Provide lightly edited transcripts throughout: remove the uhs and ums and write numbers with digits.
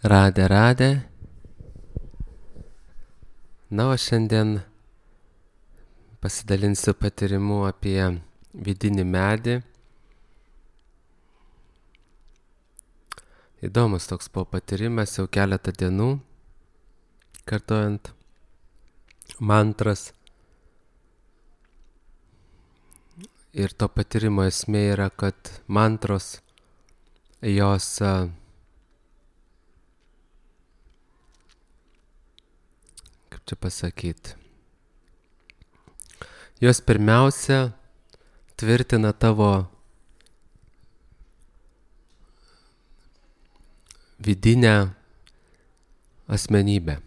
Radę. Na, o šiandien pasidalinsiu patyrimu apie vidinį medį. Įdomus toks buvo patyrimas, jau keletą dienų, kartojant mantras. Ir to patyrimo esmė yra, kad mantros, jos kaip čia pasakyti, jos pirmiausia tvirtina tavo vidinę asmenybę.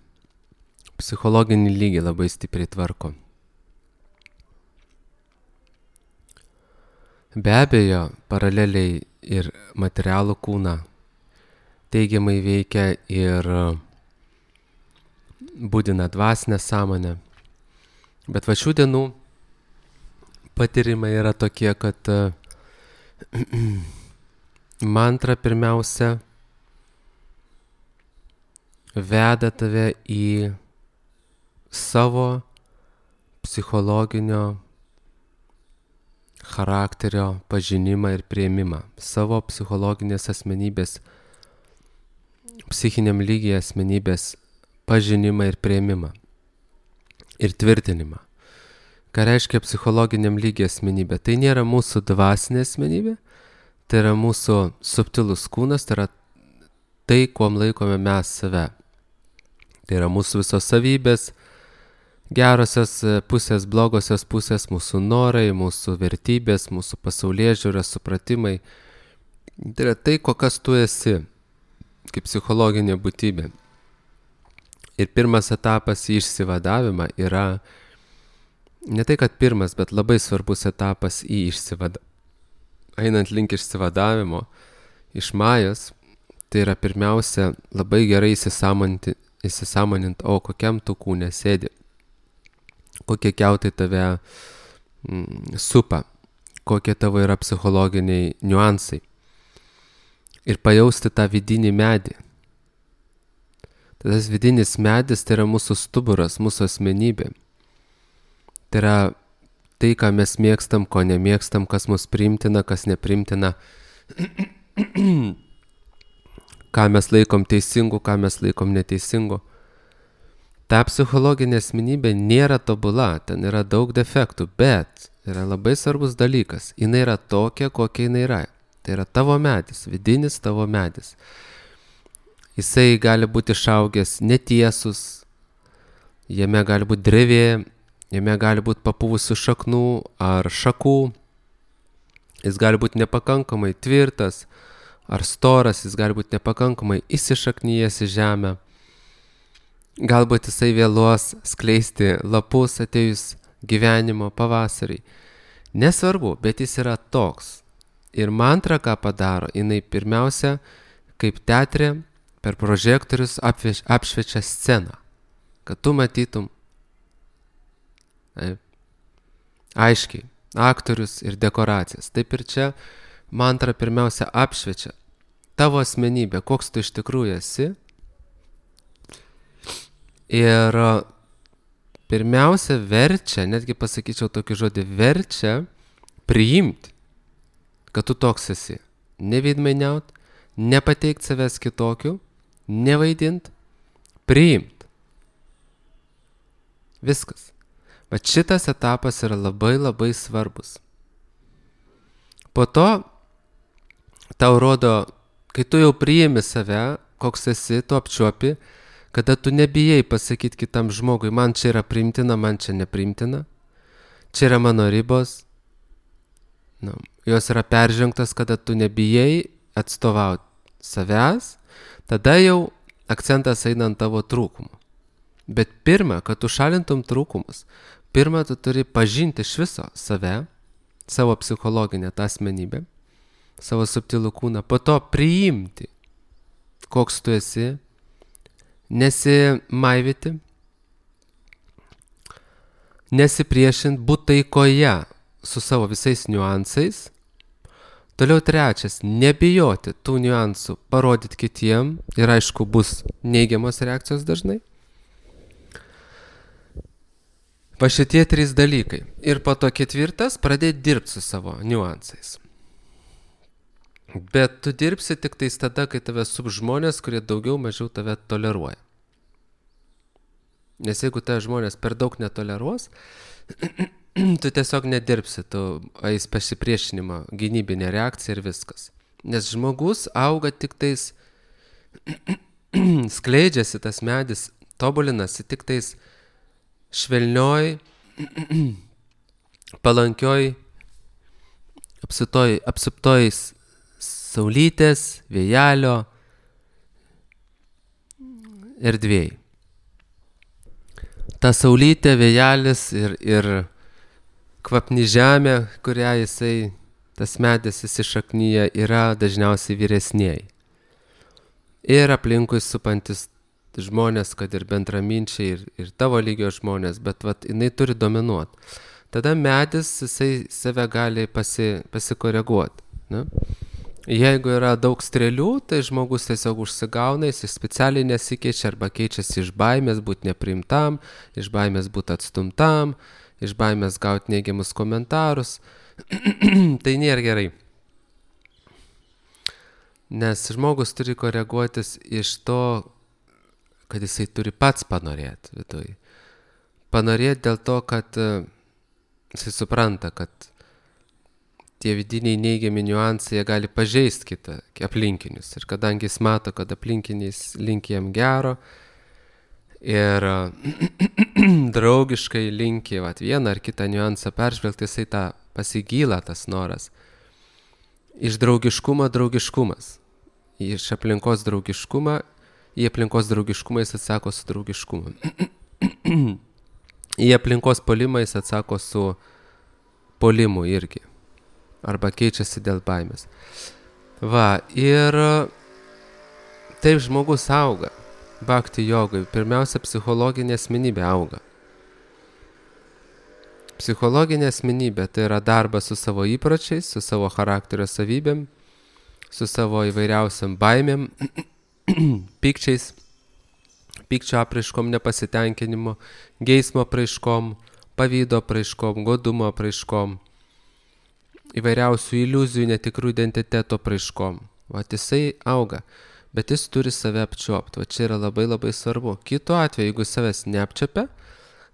Psichologinį lygį labai stipriai tvarko. Be abejo, paraleliai ir materialų kūną teigiamai veikia ir būdina dvasinę sąmonę. Bet va šių dienų patyrimai yra tokie, kad mantra pirmiausia veda tave į savo psichologinio charakterio pažinimą ir priėmimą, savo psichologinės asmenybės, psichiniam lygiai asmenybės pažinimą ir priėmimą ir tvirtinimą. Ką reiškia psichologiniam lygiai asmenybė? Tai nėra mūsų dvasinė asmenybė, tai yra mūsų subtilus kūnas, tai yra tai, kuom laikome mes save. Tai yra mūsų visos savybės, gerosios pusės, blogosios pusės, mūsų norai, mūsų vertybės, mūsų pasaulėžiūra, supratimai. Tai yra tai, kokias tu esi, kaip psichologinė būtybė. Ir pirmas etapas į išsivadavimą yra, ne tai kad pirmas, bet labai svarbus etapas į einant link išsivadavimo iš majos, tai yra pirmiausia labai gerai įsisąmonint, o kokiam tu kūne sėdi. Kokie kiautai tave supa, kokie tavo yra psichologiniai niuansai. Ir pajausti tą vidinį medį. Tas vidinis medis tai yra mūsų stuburas, mūsų asmenybė. Tai yra tai, ką mes mėgstam, ko nemėgstam, kas mus priimtina, kas neprimtina, ką mes laikom teisingu, ką mes laikom neteisingu. Ta psichologinė asmenybė nėra tobula, ten yra daug defektų, bet yra labai svarbus dalykas. Jis yra tokia, kokia jis yra. Tai yra tavo medis, vidinis tavo medis. Jisai gali būti išaugęs netiesus, jame gali būti drevė, jame gali būti papuvusių šaknų ar šakų. Jis gali būti nepakankamai tvirtas ar storas, jis gali būti nepakankamai įsišaknyjęs į žemę. Galbūt jisai vėluos skleisti lapus atėjus gyvenimo pavasarį. Nesvarbu, bet jis yra toks. Ir mantra, ką padaro, jinai pirmiausia, kaip teatre, per prožektorius apšviečia sceną, kad tu matytum aiškiai aktorius ir dekoracijas. Taip ir čia mantra pirmiausia apšviečia tavo asmenybę, koks tu iš tikrųjų esi. Ir pirmiausia verčia, netgi pasakyčiau tokį žodį, verčia priimti, kad tu toks esi. Neveidmainiaut, nepateikt savęs kitokiu, nevaidint, priimt. Viskas. Bet šitas etapas yra labai labai svarbus. Po to tau rodo, kai tu jau priimi save, koks esi, tu apčiuopi, kada tu nebijai pasakyti kitam žmogui, man čia yra priimtina, man čia nepriimtina, čia yra mano ribos, jos yra peržengtos, kada tu nebijai atstovauti savęs, tada jau akcentas eina ant tavo trūkumų. Bet pirma, kad tu šalintum trūkumus, pirma, tu turi pažinti iš viso save, savo psichologinę tą asmenybę, savo subtilų kūną, po to priimti, koks tu esi, nesimaivyti, nesipriešinti, būti taikoje su savo visais niuansais, Toliau trečias, nebijoti tų niuansų, parodyti kitiem ir aišku bus neigiamos reakcijos dažnai. Va šitie 3 dalykai. Ir po to 4, pradėti dirbti su savo niuansais. Bet tu dirbsi tik tais tada, kai tave sup žmonės, kurie daugiau mažiau tave toleruoja. Nes jeigu tave žmonės per daug netoleruos, tu tiesiog nedirbsi, tu eis pasipriešinimo, gynybinė reakcija ir viskas. Nes žmogus auga tik tais, skleidžiasi tas medis, tobulinasi tik tais švelnioj, palankioj, apsuptoj saulytės, vėjelio erdvėj. Ta saulytė, vėjelis ir kvapni žemė, kurią jisai, tas medis įsišaknyja, yra dažniausiai vyresniai. Ir aplinkui supantis žmonės, kad ir bendraminčiai, ir tavo lygio žmonės, bet vat, jinai turi dominuoti. Tada medis, jisai save gali pasikoreguoti. Ne? Jeigu yra daug strėlių, tai žmogus tiesiog užsigauna, jis specialiai nesikeičia arba keičiasi iš baimės būti nepriimtam, iš baimės būti atstumtam, iš baimės gauti neigiamus komentarus. Tai nėra gerai. Nes žmogus turi koreguotis iš to, kad jisai turi pats panorėti viduje. Panorėti dėl to, kad jisai supranta, kad tie vidiniai neigiami niuansai, jie gali pažeisti kitą aplinkinius. Ir kadangi jis mato, kad aplinkiniais linki jam gero ir draugiškai linki vieną ar kitą niuansą peržvelgti, jisai tą pasigyla tas noras. Iš draugiškumo draugiškumas. Iš aplinkos draugiškumą, į aplinkos draugiškumą jis atsako su draugiškumu. Į aplinkos polimą jis atsako su polimu irgi. Arba keičiasi dėl baimės. Va, ir taip žmogus auga. Bhakti jogai. Pirmiausia, psichologinė asmenybė auga. Psichologinė asmenybė tai yra darbas su savo įpročiais, su savo charakterio savybėm, su savo įvairiausiam baimėm, pykčiais, pykčio apraiškom, nepasitenkinimu, geismo apraiškom, pavydo apraiškom, godumo apraiškom, įvairiausių iliuzijų, netikrų identiteto apraiškom. Vat jisai auga, bet jis turi save apčiuopti. Va čia yra labai labai svarbu. Kitu atveju, jeigu savęs neapčiopia,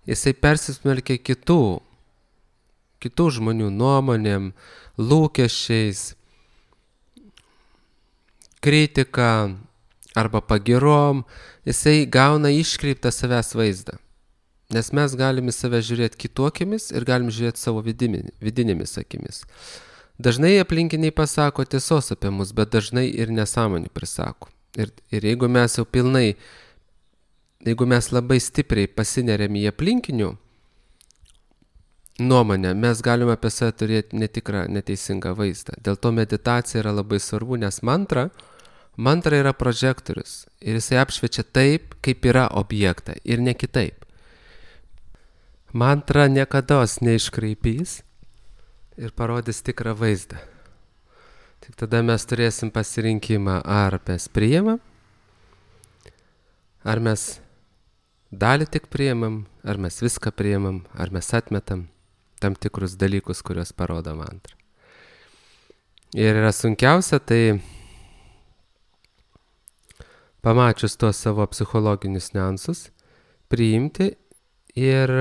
jisai persismelkia kitų žmonių nuomonėm, lūkesčiais, kritika arba pagirom, jisai gauna iškreiptą savęs vaizdą. Nes mes galime save žiūrėti kitokiamis ir galim žiūrėti savo vidinėmis akimis. Dažnai aplinkiniai pasako tiesos apie mus, bet dažnai ir nesąmonį prisako. Ir jeigu mes jau pilnai, jeigu mes labai stipriai pasineriam į aplinkinių nuomonę, mes galime apie save turėti netikrą, neteisingą vaizdą. Dėl to meditacija yra labai svarbu, nes mantra yra prožektorius. Ir jisai apšviečia taip, kaip yra objektą ir ne kitaip. Mantra niekados neiškraipys ir parodys tikrą vaizdą. Tik tada mes turėsim pasirinkimą, ar mes priimam, ar mes dalį tik priimam, ar mes viską priimam, ar mes atmetam tam tikrus dalykus, kuriuos parodo mantra. Ir yra sunkiausia, tai pamačius tuos savo psichologinius niuansus, priimti ir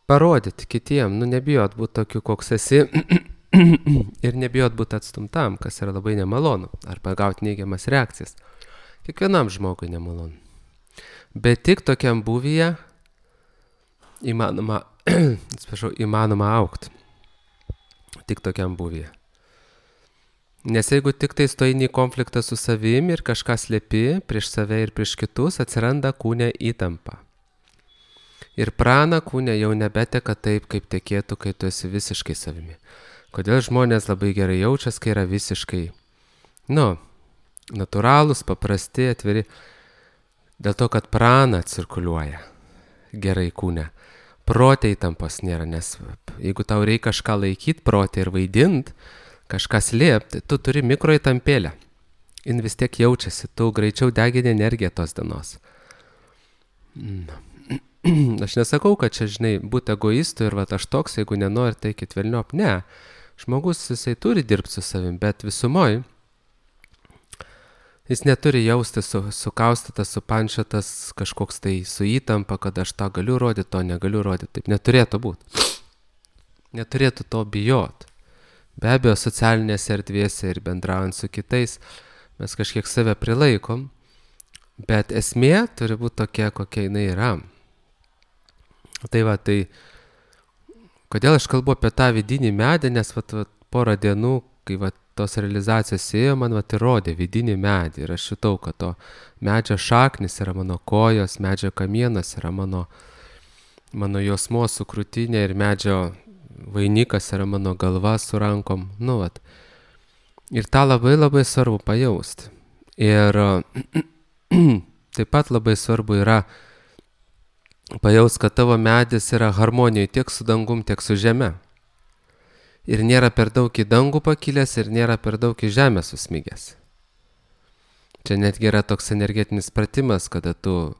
parodyti kitiem, nebijot būti tokiu, koks esi ir nebijot būti atstumtam, kas yra labai nemalonu, arba gauti neigiamas reakcijas. Kiekvienam žmogui nemalonu. Bet tik tokiam būvyje įmanoma augti. Tik tokiam būvyje. Nes jeigu tik tai stoji į konfliktą su savimi ir kažką slepi prieš save ir prieš kitus, atsiranda kūne įtampa. Ir prana kūne jau nebeteka taip, kaip tekėtų, kai tu esi visiškai savimi. Kodėl žmonės labai gerai jaučiasi, kai yra visiškai, natūralūs, paprasti, atviri. Dėl to, kad prana cirkuliuoja gerai kūne. Prote įtampos nėra, nes jeigu tau reikia kažką laikyti prote ir vaidinti, kažką slėpti, tu turi mikroįtampėlę. Jin vis tiek jaučiasi, tu greičiau degini energiją tos dienos. Aš nesakau, kad čia, žinai, būti egoistu ir vat aš toks, jeigu nenori, tai eikit velniop. Ne, žmogus jisai turi dirbti su savim, bet visumoj jis neturi jausti sukaustytas, supančiotas, kažkoks tai su įtampa, kad aš tą galiu rodyti, to negaliu rodyti. Taip neturėtų būti. Neturėtų to bijot. Be abejo, socialinėse erdvėse ir bendraujant su kitais mes kažkiek save prilaikom, bet esmė turi būti tokia, kokia jinai yra. Tai va, tai kodėl aš kalbu apie tą vidinį medį, nes porą dienų, kai tos realizacijos ėjo, man įrodė vidinį medį ir aš jutau, kad to medžio šaknis yra mano kojos, medžio kamienas yra mano jausmos su krūtinė ir medžio vainikas yra mano galva su rankom. Ir tą labai labai svarbu pajausti. Ir taip pat labai svarbu yra pajausti, kad tavo medis yra harmonijoje tiek su dangum, tiek su žeme. Ir nėra per daug į dangų pakilęs ir nėra per daug į žemę susmigęs. Čia netgi yra toks energetinis pratimas, kada tu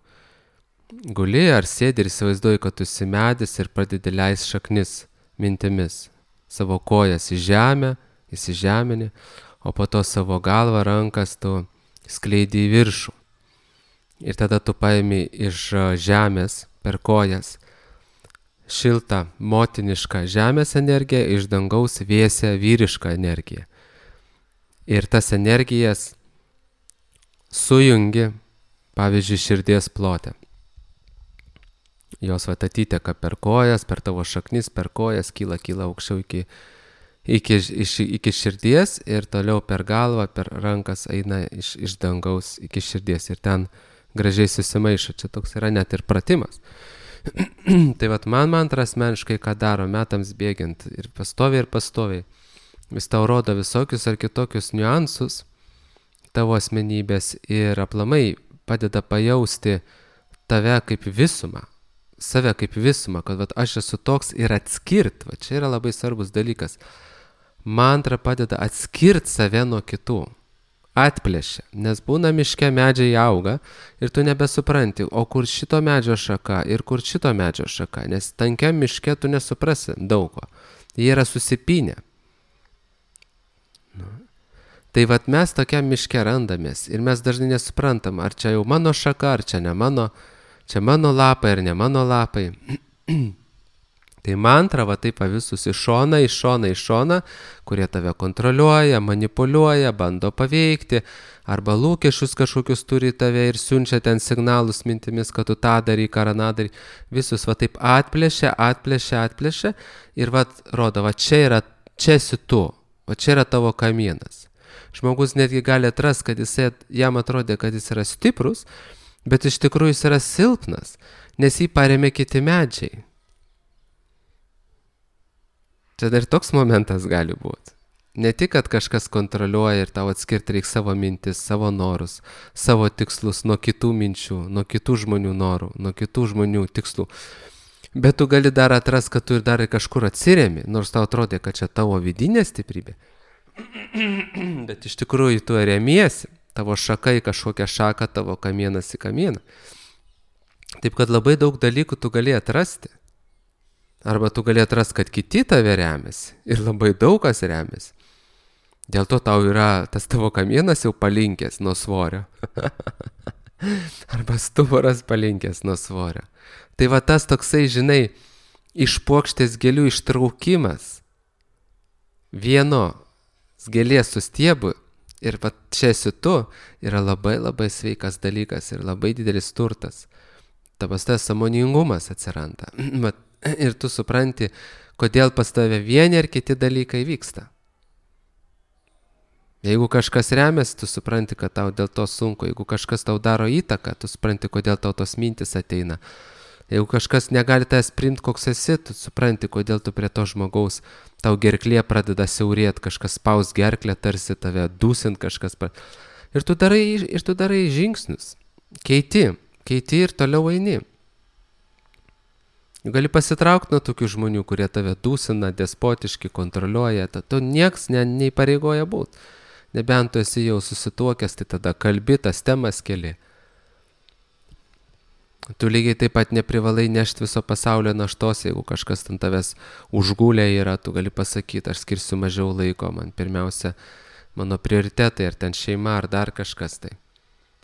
guli ar sėdi ir įsivaizduoji, kad tu esi medis ir pradedi leist šaknis mintimis. Savo kojas į žemę, įsižemini, o po to savo galvą, rankas tu skleidi į viršų. Ir tada tu paimi iš žemės per kojas šiltą motinišką žemės energiją, iš dangaus vėsią vyrišką energiją. Ir tas energijas sujungi, pavyzdžiui, širdies plote. Jos atiteka per kojas, per tavo šaknis, per kojas, kyla aukščiau iki širdies ir toliau per galvą, per rankas eina iš dangaus iki širdies ir ten gražiai susimaišo. Čia toks yra net ir pratimas. Tai man asmeniškai, ką daro metams bėgiant ir pastoviai, vis tau rodo visokius ar kitokius niuansus tavo asmenybės ir aplamai padeda pajausti tave kaip visumą, save kaip visumą, kad aš esu toks ir atskirt, čia yra labai svarbus dalykas. Mantra padeda atskirti save nuo kitų, atplėšia, nes būna miške medžiai auga ir tu nebesupranti, o kur šito medžio šaka ir kur šito medžio šaka, nes tankiam miške tu nesuprasi daug ko, jie yra susipynę. Tai mes tokiam miške randamės ir mes dažnai nesuprantam, ar čia jau mano šaka, ar čia ne mano, čia mano lapai ar ne mano lapai. Tai mantra taip visus iš šoną, kurie tave kontroliuoja, manipuliuoja, bando paveikti, arba lūkesčius kažkokius turi tave ir siunčia ten signalus mintimis, kad tu tą daryk, ar aną daryk. Visus taip atplėšia ir rodo, čia esi tu, čia yra tavo kamienas. Žmogus netgi gali atrasti, kad jam atrodė, kad jis yra stiprus, bet iš tikrųjų jis yra silpnas, nes jį parėmė kiti medžiai. Čia dar toks momentas gali būti. Ne tik, kad kažkas kontroliuoja ir tau atskirti reikia savo mintis, savo norus, savo tikslus nuo kitų minčių, nuo kitų žmonių norų, nuo kitų žmonių tikslų. Bet tu gali dar atrasti, kad tu ir dar kažkur atsiremi, nors tau atrodė, kad čia tavo vidinė stiprybė. Bet iš tikrųjų tu remiesi, tavo šaka į kažkokią šaką, tavo kamienas į kamieną. Taip, kad labai daug dalykų tu gali atrasti. Arba tu gali atrasti, kad kiti tave remiasi ir labai daug kas remiasi. Dėl to tau yra tas tavo kamienas jau palinkęs nuo svorio. Arba stuburas palinkęs nuo svorio. Tai tas toksai, žinai, iš puokštės gėlių ištraukimas vieno gėlės su stiebu ir čia esi tu, yra labai labai sveikas dalykas ir labai didelis turtas. Tas sąmoningumas atsiranda. Ir tu supranti, kodėl pas tave vieni ar kiti dalykai vyksta. Jeigu kažkas remiasi, tu supranti, kad tau dėl to sunku. Jeigu kažkas tau daro įtaką, tu supranti, kodėl tau tos mintis ateina. Jeigu kažkas negali tavęs priimti, koks esi, tu supranti, kodėl tu prie to žmogaus, tau gerklė pradeda siaurėti, kažkas spaus gerklę, tarsi tave dūsint kažkas. Ir tu darai žingsnius. Keiti ir toliau eini. Gali pasitraukti nuo tokių žmonių, kurie tave dūsina, despotiški, kontroliuoja, tu nieks neįpareigoja būti. Nebent tu esi jau susituokęs, tai tada kalbi, tas temas keli. Tu lygiai taip pat neprivalai nešti viso pasaulio naštos, jeigu kažkas ant tavęs užgulė yra, tu gali pasakyti, aš skirsiu mažiau laiko, man pirmiausia mano prioritetai, ar ten šeima, ar dar kažkas tai.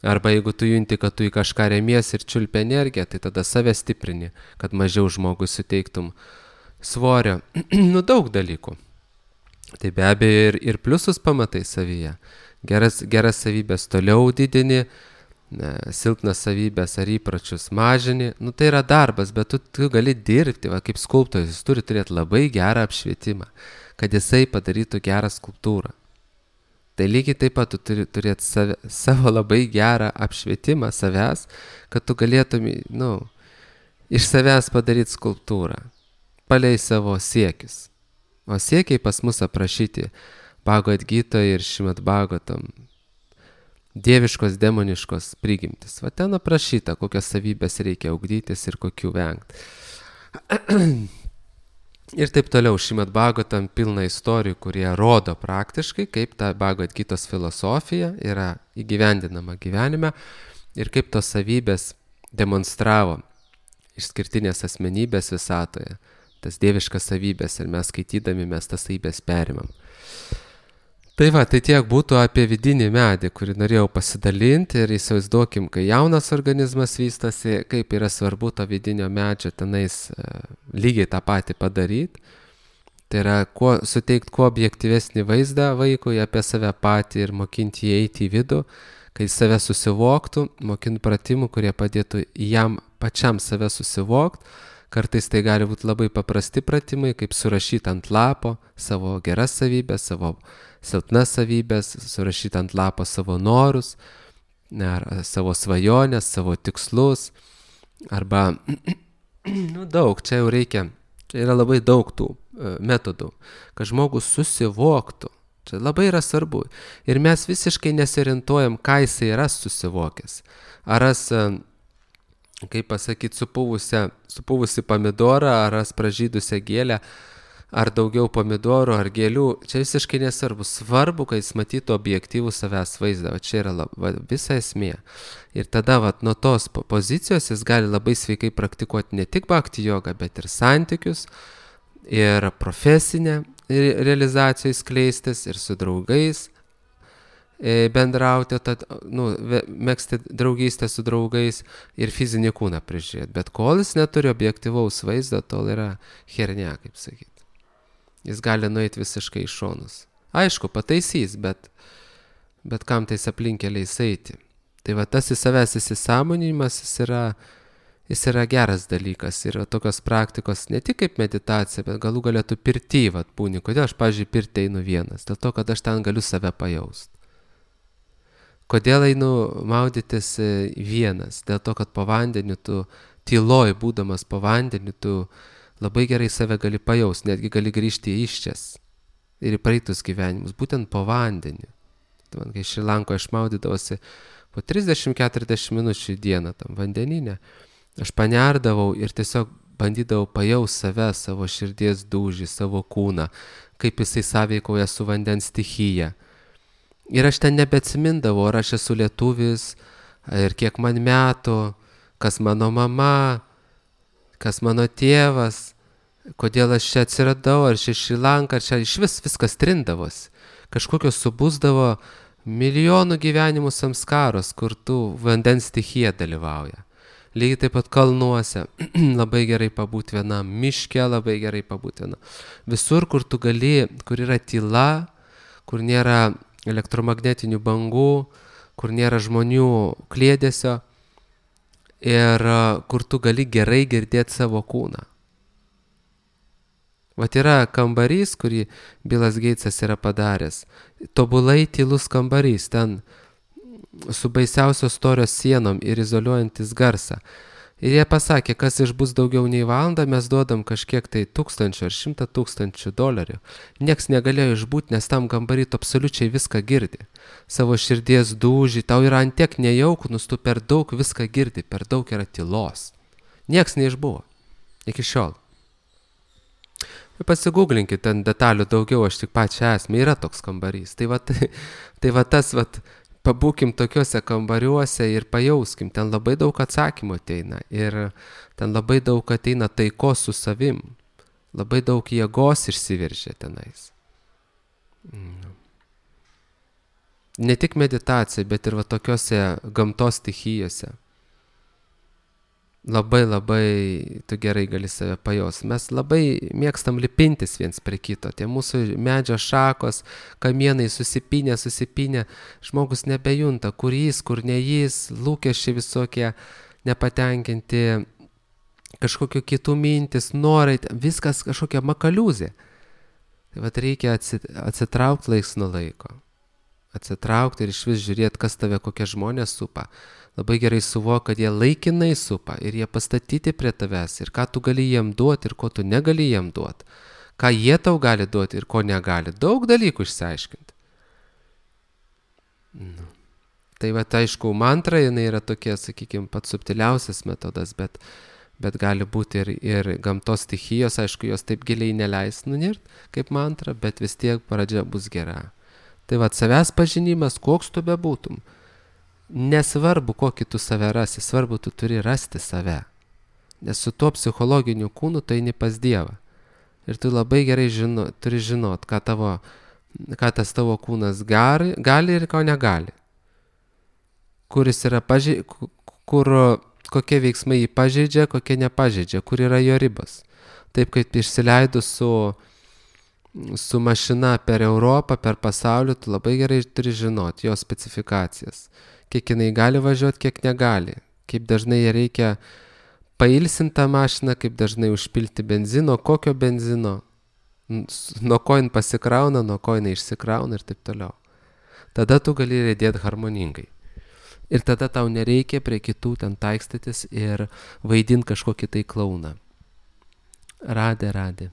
Arba jeigu tu junti, kad tu į kažką remiesi ir čiulpi energiją, tai tada save stiprini, kad mažiau žmogui suteiktum svorio. Daug dalykų. Tai be abejo ir pliusus pamatai savyje. Geras savybės toliau didini, silpnas savybės ar įpročius mažini. Tai yra darbas, bet tu gali dirbti, kaip skulptorius, jis turi turėti labai gerą apšvietimą, kad jisai padarytų gerą skulptūrą. Tai lygiai taip pat tu turi turėti savo labai gerą apšvietimą savęs, kad tu galėtum iš savęs padaryti skulptūrą, palei savo siekius. O siekiai pas mus aprašyti Bhagavad Gitoje ir Šrimad Bhagavatam. Dieviškos, demoniškos prigimtis. Va ten aprašyta, kokias savybės reikia ugdytis ir kokių vengti. Ir taip toliau, Šrimad Bhagavatam pilna istorijų, kurie rodo praktiškai, kaip ta Bhagavad Gitos filosofija yra įgyvendinama gyvenime ir kaip tos savybės demonstravo išskirtinės asmenybės visatoje, tas dieviškas savybės, ir mes skaitydami mes tas savybės perimam. Tai tiek būtų apie vidinį medį, kurį norėjau pasidalinti, ir įsivaizduokim, kai jaunas organizmas vystosi, kaip yra svarbu to vidinio medžio tenais lygiai tą patį padaryti. Tai yra suteikti kuo objektyvesnį vaizdą vaikui apie save patį ir mokinti jį eiti į vidų, kai save susivoktų, mokinti pratimų, kurie padėtų jam pačiam save susivokti. Kartais tai gali būti labai paprasti pratimai, kaip surašyti ant lapo savo geras savybės, savo silpnas savybės, surašyti ant lapo savo norus, savo svajonės, savo tikslus, arba daug, čia jau reikia, čia yra labai daug tų metodų, kad žmogus susivoktų, čia labai yra svarbu. Ir mes visiškai nesiorientuojam, ką jisai yra susivokęs. Ar kaip pasakyti, supuvusi pomidorą, ar pražydusią gėlę, ar daugiau pomidorų, ar gėlių, čia visiškai nesvarbu. Svarbu, kad jis matytų objektyvų savęs vaizdą, čia yra visa esmė. Ir tada nuo tos pozicijos jis gali labai sveikai praktikuoti ne tik bhakti jogą, bet ir santykius, ir profesinę realizaciją skleistis, ir su draugais bendrauti, megzti draugystę su draugais ir fizinį kūną prižiūrėti. Bet kol jis neturi objektyvaus vaizdo, tol yra hernia, kaip sakyti. Jis gali nueiti visiškai į šonus. Aišku, pataisys, bet kam tais aplinkeliais eiti. Tai tas į savęs įsisąmoninimas, jis yra geras dalykas. Ir tokios praktikos ne tik kaip meditacija, bet galų galėtų pirty būni. Kodėl aš, pavyzdžiui, pirtį einu vienas? Dėl to, kad aš ten galiu save pajausti. Kodėl einu maudytis vienas? Dėl to, kad po vandeniu tu tyloj, būdamas po vandeniu, tu labai gerai save gali pajausti, netgi gali grįžti į iščias ir į praeitus gyvenimus, būtent po vandeniu. Tai kai Šri Lankoje aš maudydavosi po 30-40 minučių į dieną tam vandeninę, aš panerdavau ir tiesiog bandydavau pajausti save, savo širdies dūžį, savo kūną, kaip jisai sąveikauja su vandens stichija. Ir aš ten nebeatsimindavau, ar aš esu lietuvis, ir kiek man metų, kas mano mama, kas mano tėvas, kodėl aš čia atsiradau, ar čia Šri Lanka, ar čia iš viskas trindavosi. Kažkokios subusdavo milijonų gyvenimų samskaros, kur tu vandens stichija dalyvauja. Lygiai taip pat kalnuose, labai gerai pabūti vienam, miške labai gerai pabūti vienam. Visur, kur tu gali, kur yra tyla, kur nėra elektromagnetinių bangų, kur nėra žmonių kliedesio ir kur tu gali gerai girdėti savo kūną. Yra kambarys, kurį Bilas Geitsas yra padaręs. Tobulai tylus kambarys, ten su baisiausios storios sienom ir izoliuojantis garsą. Ir jie pasakė, kas išbus daugiau nei valandą, mes duodam kažkiek tai 1000 ar 100 000 dolerių. Nieks negalėjo išbūti, nes tam kambarį tu absoliučiai viską girdi. Savo širdies dūžį, tau yra antiek nejauku, tu per daug viską girdi, per daug yra tylos. Nieks neišbuvo. Iki šiol. Pasigūglinkit, ten detalių daugiau, aš tik pačią esmę, yra toks kambarys. Tai va tas, pabūkim tokiuose kambariuose ir pajauskim, ten labai daug atsakymų ateina ir ten labai daug ateina taikos su savim, labai daug jėgos išsiveržia tenais. Ne tik meditacija, bet ir va tokiuose gamtos stichijose. Labai tu gerai gali save pajaus. Mes labai mėgstam lipintis viens prie kito. Tie mūsų medžio šakos, kamienai susipinę. Žmogus nebejunta, kur jis, kur ne jis, lūkesčiai visokie nepatenkinti, kažkokių kitų mintis, norai, viskas kažkokia makaliūzė. Tai vat reikia atsitraukti laiks nuo laiko. Atsitraukti ir iš vis žiūrėti, kas tave, kokie žmonės supa. Labai gerai suvok, kad jie laikinai supa ir jie pastatyti prie tavęs ir ką tu gali jiem duoti ir ko tu negali jiem duoti. Ką jie tau gali duoti ir ko negali. Daug dalykų išsiaiškinti. Tai va, aišku, mantra, jinai yra tokia, sakykime, pats subtiliausias metodas, bet gali būti ir gamtos stichijos, aišku, jos taip giliai neleis nunirt kaip mantra, bet vis tiek pradžia bus gera. Tai va, savęs pažinimas, koks tu bebūtum. Nesvarbu, kokį tu save rasi, svarbu, tu turi rasti save. Nes su tuo psichologiniu kūnu tu eini pas Dievą. Ir tu labai gerai turi žinot, ką tas tavo kūnas gali ir ko negali. Kuris yra kokie veiksmai jį pažeidžia, kokie nepažeidžia, kur yra jo ribos. Taip kaip išsileidus su mašina per Europą, per pasaulį, tu labai gerai turi žinot jo specifikacijas. Kiek jinai gali važiuoti, kiek negali. Kaip dažnai ją reikia pailsinti tą mašiną, kaip dažnai užpilti benzino, kokio benzino, nuo ko jin pasikrauna, nuo ko jin išsikrauna ir taip toliau. Tada tu gali riedėti harmoningai. Ir tada tau nereikia prie kitų ten taikstytis ir vaidinti kažkokį tai klauną. Radė.